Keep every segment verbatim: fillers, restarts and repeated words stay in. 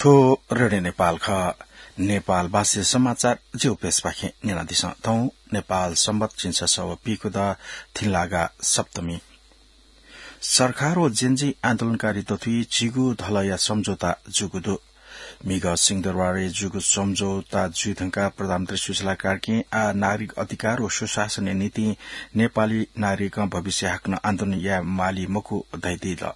थ्व रेडियो नेपाल खः। नेपाल भाषाया समाचार ज्यू प्रेसपाखें न्यनादिसँ। थौं नेपाल संवत् झिंछसः व पीखुदँ थिंलागा सप्तमी। सरकार व जेनजी आन्दोलनकारी दथुइ झीगू धलया सम्झौता जूगु दु। म्हिगः सिंहदरबारय् जूगु सम्झौता जुइ धुंकाः प्रधानमन्त्री सुशीला कार्कीं आः नागरिक अधिकार व सुशासनया निंतिं नेपाली नागरिकं भविष्यय् हाकनं आन्दोलन याये माली मखु धयादिल।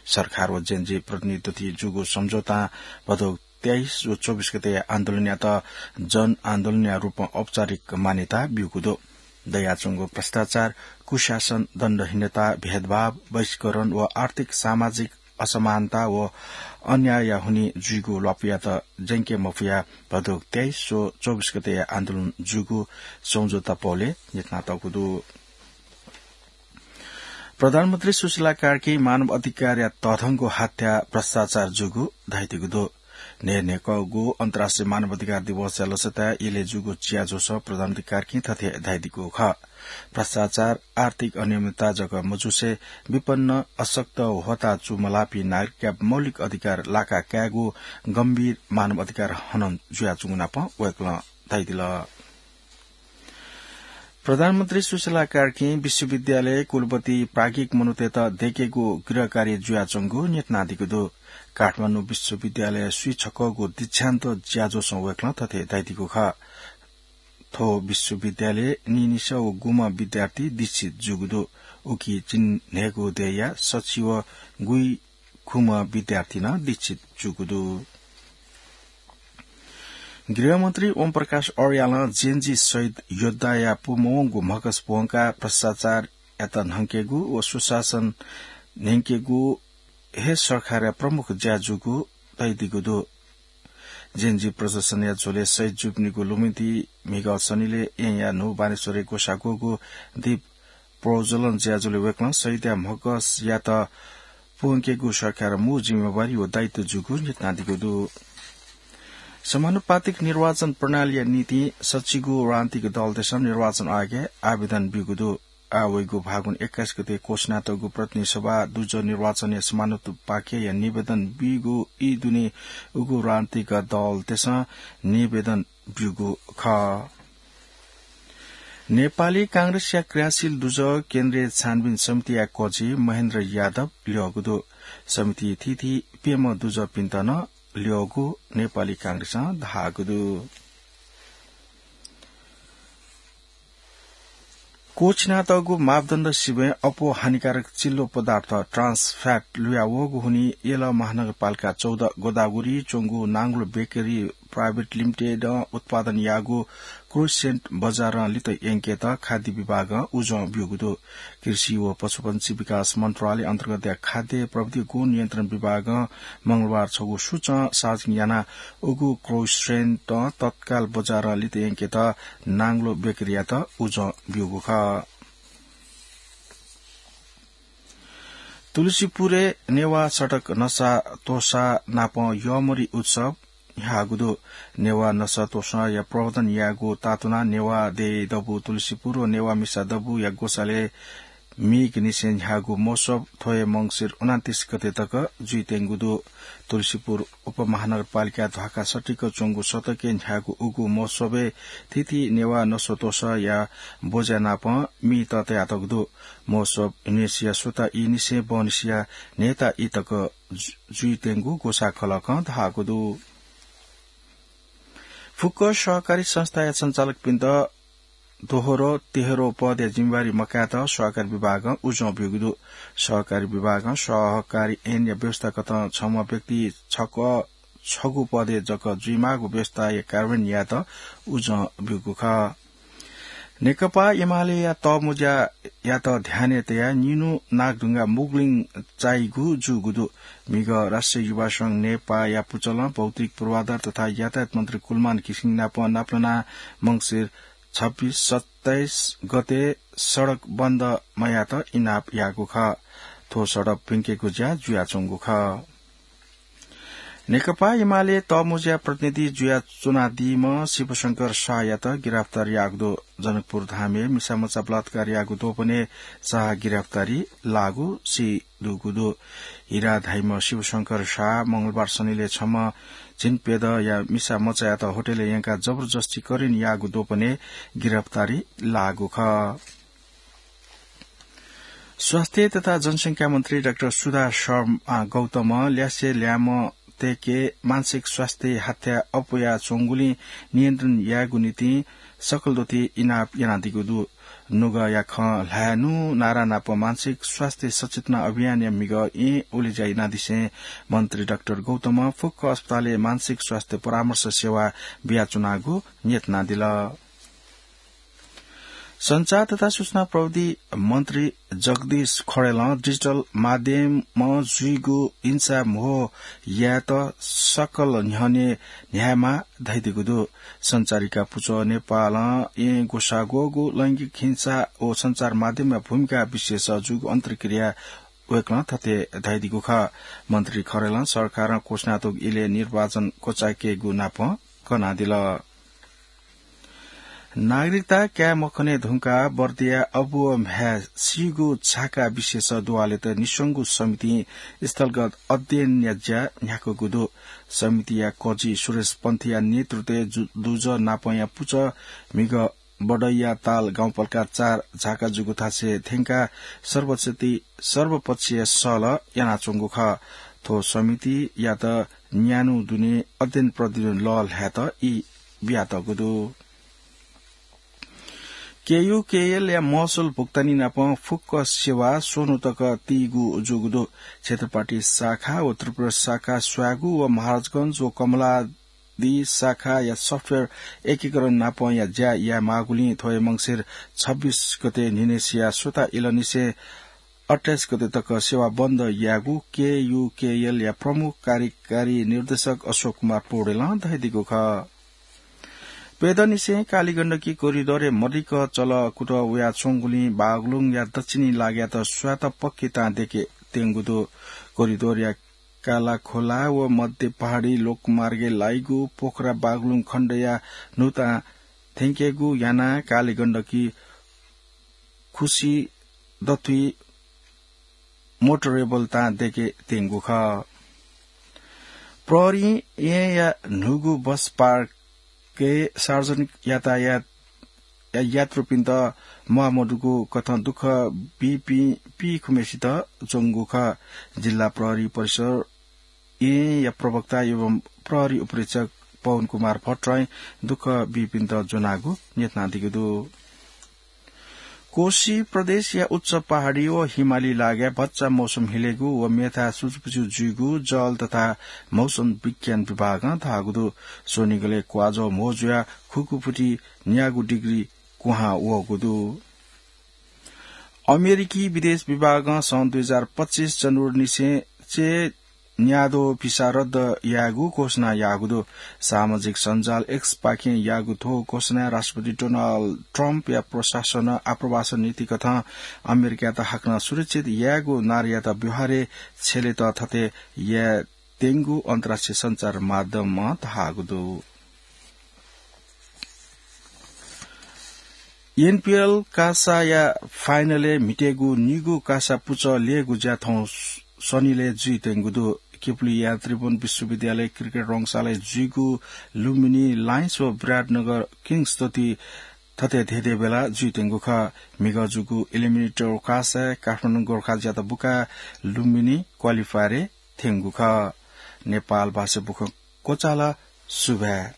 सरकार व जेनजी प्रतिनिधि दथुइ जूगु सम्झौतां भदौ तेइस व चौबिस गतेया आन्दोलनयात जनआन्दोलनया रूपमा औपचारिक मान्यता ब्यूगु दु। दयाच्वंगु भ्रष्टाचार, कुशासन, दण्डहीनता, भेदभाव, बहिष्करण व आर्थिक सामाजिक असमानता व अन्यायया हुनिं जुइगु ल्वापुयात ज्यंके मफुया भदौ तेइस व चौबिस गतेया आन्दोलन जूगु सम्झौता पौलय् न्ह्यथनातःगु दु। प्रधानमन्त्री सुशीला कार्कीं मानव अधिकारया तःधंगु हत्या भ्रष्टाचार जूगु धयादीगु दु। न्हय्न्हय्‌कःगु अन्तर्राष्ट्रिय मानव अधिकार दिवसया लसताय् इलय् जूगु ज्याझ्वलय् प्रधानमन्त्री कार्कीं थथे धयादीगु खः। भ्रष्टाचार, आर्थिक अनियमितता जक मजुसे विपन्न, अशक्त, ह्वःताः चूमलाःपिं नागरिकया मौलिक अधिकार लाका कायेगु गम्भीर मानव अधिकार हनन जुयाच्वंगु नापं वय्‌कलं धयादिल। प्रधानमन्त्री सुशीला कार्कीं विश्वविद्यालय, कुलपति, प्राज्ञिक मनूतय्‌त दय्‌केगु गृहकार्य जुयाच्वंगु न्ह्यथनादीगु दु। काठमाडौं विश्वविद्यालय स्वीछक्वःगु दीक्षान्त ज्याझ्वलय् वय्‌कलं थथे धयादीगु खः। थ्व विश्वविद्यालयय् नीनिसः व गुम्ह विद्यार्थी दीक्षित जूगु दु। उकी चिन्हय्‌गु देय्‌या सछि व गुइखुम्ह विद्यार्थी नं दीक्षित जूगु दु। गृहमन्त्री ओम प्रकाश अर्यालं जेनजी शहीद योद्धाया पूमवंगु म्हगस प्वंकाः भ्रष्टाचारयात न्हंकेगु व सुशासन न्यंकेगु हे सरकारया प्रमुख ज्या जूगु धयादीगु दु। जेनजी प्रदर्शनया झ्वलय् शहीद जूपिनिगु लुमन्ति म्हिगः शनिलय् येँया न्हू बानेश्वरय् ग्वसाः ग्वःगु दीप प्रज्वलन ज्याझ्वलय् वय्‌कलं शहीदया म्हगसयात प्वंकेगु सरकारया मू जिम्मेवारी व दायित्व जूगु न्ह्यथनादीगु दु। समानुपातिक निर्वाचन प्रणालीया निंतिं सछिगू राजनीतिक दलतय्‌सं निर्वाचन आयोगय् आवेदन ब्यूगु दु। आः वइगु फागुन एक्काइस गते क्वःछिनातःगु प्रतिनिधि सभा दुजः निर्वाचनया समानुपातिकया निवेदन बीगु ई दुने उगु राजनीतिक दलतय्‌सं निवेदन ब्यूगु खः। नेपाली कांग्रेसया क्रियाशील दुजः केन्द्रीय छानबिन समितिया कोची महेन्द्र यादव ल्यःगु दु। समितिइ थीथी प्यम्ह दुजःपिन्त नं ल्यःगु नेपाली कांग्रेसं धाःगु दु। क्वःछिनातःगु मापदण्ड सिबें अप्वः हानिकारक चिल्लो पदार्थ ट्रान्स फ्याट लुयावःगु हुनिं यल महानगरपालिका चौध गोदावरीइ च्वंगु नांगलो बेकरी प्राइभेट लिमिटेडं उत्पादन याःगु क्रोइसेन्ट बजारं लित यंकेत खाद्य विभागं उजं ब्यूगु दु। कृषि व पशुपन्छी विकास मन्त्रालय अन्तर्गतया खाद्य प्रविधि गुणनियन्त्रण विभागं मंगलबार छगू सूचं सार्वजनिक यानाः उगु क्रोइसेन्ट तत्काल बजारं लित यंकेत नांगलो बेकरीयात उजं ब्यूगु खः। तुलसीपुरय् नेवाः सडक नसा तोसा नाप यःमरि उत्सव न्ह्याःगु दु। नेवाः नसा तोसाया प्रवर्धन यायेगु तातुनाः नेवाः देय् दबू तुलसीपुर व नेवाः मिसा दबूया ग्वसालय् मीगनिसें न्ह्याःगु महोत्सव थ्व हे मंसिर उनान्तिस गते तक जुइत्यंगु दु। तुलसीपुर उपमहानगरपालिका ध्वाखा सटिक च्वंगु सतकय् न्ह्याःगु उगु महोत्सवय् थीथी नेवाः नसा तोसाया ब्वज्या नाप मी तयातःगु दु। महोत्सव न्ह्यसिया सुता ई निसें बहनिसिया न्हय्ता ई तक जु-, जुइत्यंगु ग्वसाः खलकं धाःगु दु। फुक्क सहकारी संस्थाया सञ्चालकपिन्त दोहोरो, तेह्रो पदया जिम्मेवारी मकायेत सहकारी विभागं उजं ब्यूगु दु। सहकारी विभागं सहकारी ऐनया व्यवस्थाकथं छम्ह व्यक्ति छकः छगू पदय् जक जुइमाःगु व्यवस्थाया कार्यान्वयन यायेत उजं ब्यूगु खः। नेकपा एमालेया तःमुँज्यायात ध्यानय् तयाः निन्हु नागढुङ्गा मुगलिङ चाइगु जूगु दु। म्हिगः राष्ट्रिय युवा संघ नेपाःया पुचलं भौतिक पूर्वाधार तथा यातायात मन्त्री कुलमान घिसिङ नाप नापलानाः मंसिर छब्बिस सत्ताइस गते सडक बन्द मयायेत इनाप याःगु खः। थ्व सडक प्यंकेगु ज्या जुयाच्वंगु खः। नेकपा एमाले तःमुँज्या प्रतिनिधि जुयाच्वनादीम्ह शिवशंकर शाहयात गिरफ्तार याःगु दु। जनकपुर धामय् मिसामचा बलात्कार याःगु द्वपनय् शाह गिरफ्तारी लाःगु सीदुगु दु। हिरा धाइम्ह शिवशंकर शाह मंगलबार सनिलय् छम्ह झिंप्यदँया मिसामचायात होटलय् यंकाः जबरजस्ती करेन्ट याःगु द्वपनय् गिरफ्तारी लाःगु खः। स्वास्थ्य तथा जनसंख्या मन्त्री डाक्टर सुधा शर्मा गौतमं ल्यासे ल्याय्म्ह तय्के मानसिक स्वास्थ्य हाथ्या अप्वयाच्वंगुलिं नियन्त्रण यायेगु निंतिं सकलद्वःति इनाप यानादीगु दु। नुगःया खँ ल्हायेनु नारा नाप मानसिक स्वास्थ्य सचेतना अभियानया म्हिगः येँ उलेज्या यानादिसें मन्त्री डाक्टर गौतमं फुक्क अस्पतालय् मानसिक स्वास्थ्य परामर्श सेवा बियाच्वनागु न्ह्यथनादिल। सञ्चार तथा सूचना प्रविधि मन्त्री जगदीश खड्गीं डिजिटल माध्यमं जुइगु हिंसा म्हो यायेत सकल न्ह्यःने न्ह्यायेमाः धयादीगु दु। सञ्चारिका पुचः नेपालं येँ ग्वसाः ग्वःगु लैंगिक हिंसा व सञ्चार माध्यमया भूमिका विषयस जूगु अन्तर्क्रिया वय्कलं थथे धयादीगु खः। मन्त्री खड्गीं सरकारं क्वछुनातःगु इलय् निर्वाचन क्वचायेकेगु नाप कनादिल। नागरिकता काये मखने धुंकाः बर्दिया अबु व म्ह्याय् सीगु झाका विषयस दुवालेत निस्वंगु समितिं स्थलगत अध्ययनया ज्या न्ह्याकूगु दु। समितिया कजि सुरेश पन्थीया नेतृत्वय् जु-, दुजः नापंया पुचः म्हिगः बडैया ताल गाउँपालिका चार झाका जूगु थासय् थ्यंकाः सर्वसम्मति, सर्वपक्षीय सहलह यानाच्वंगु खः। थ्व समितियात न्यान्हु दुने अध्ययन प्रतिवेदन लःल्हायेत ई बियातःगु दु। केयूकेएलया महसुल भुक्तानी नाप फुक्क सेवा स्वन्हु तक तीगु जूगु दु। क्षेत्रपाटी शाखा व त्रिपुरा शाखा स्वागु व महाराजगंज व कमलादि शाखाया सफ्टवेयर एकीकरण नापंया ज्या यायेमाःगुलिं थ्व हे मंसिर छब्बीस गते न्हिनय्सिया सुता इलंनिसें अट्ठाइस गते तक सेवा बन्द यायेगु केयूकेएलया प्रमुख कार्यकारी निर्देशक अशोक कुमार पौडेलं धयादीगु खः। प्यदँनिसें कालीगण्डकी कोरिडोरय् मदिक्क चलः कुतः वयाच्वंगुलिं बागलुङया दक्षिणी लागाय्त स्वात पक्की तां देके त्यंगु दु। कोरिडोरया कालाखोला व मध्य पहाडी लोकमार्गय् लाइगु पोखरा बागलुङ खण्डया न्हूतां थ्यंकेगु यानाः कालीगण्डकी खुसी दथुइ मोटरेबल तां देके त्यंगु खः। प्रहरीं येँया न्हूगु बस पार्कय् सार्वजनिक यातायात या यात्रुपिन्त म्वाःमदुगु कथं दुःख बीपिं पीखुम्हेसित ज्वंगु खः। जिल्ला प्रहरी परिसर येँया प्रवक्ता एवं प्रहरी उपरीक्षक पवन कुमार भट्टराईं दुःख बीपिन्त ज्वनागु न्ह्यथनादीगु दु। कोशी प्रदेशया उच्च पहाडी व हिमाली लागाय् भचा मौसम हिलेगु व मेथाय् सुचुपुचु जुइगु जल तथा मौसम विज्ञान विभागं धाःगु दु। स्वनिगलय् क्वाःजः म्हो जुयाः खुकुफुति न्यागू डिग्री क्वहां वःगु दु। अमेरिकी विदेश विभागं सन् दुई हजार पच्चिस जनवरीनिसें चय् न्याद्वः भिसा रद्द यायेगु घोषणा याःगु दु। सामाजिक सञ्जाल X पाखें याःगु थ्व घोषणाय् राष्ट्रपति डोनाल्ड ट्रम्पया प्रशासनं आप्रवासन नीतिकथं अमेरिकायात हाकनं सुरक्षित यायेगु नारायात व्यवहारय् छ्यलेत थथे याये त्यंगु अन्तर्राष्ट्रिय सञ्चार माध्यमं धाःगु दु। एनपीएल कासाया फाइनलय् म्हितेगु निगू कासा पुचः ल्ययेगु ज्या थौं सनिलय् जुइत्यंगु दु। केपुलिया त्रिभुवन विश्वविद्यालय क्रिकेट रंगशालाय् जुइगु लुम्बिनी लायन्स व विराटनगर किङ्स दथुइ थथे धेंधेंबेला जुइत्यंगु खः। म्हिगः जूगु इलिमिनेटर कासाय् काठमाडौं गोर्खाज्यात बुकाः लुम्बिनी क्वालिफायरय् थ्यंगु खः। नेपाल भाषा बुखँ क्वचाल। सुभाय्।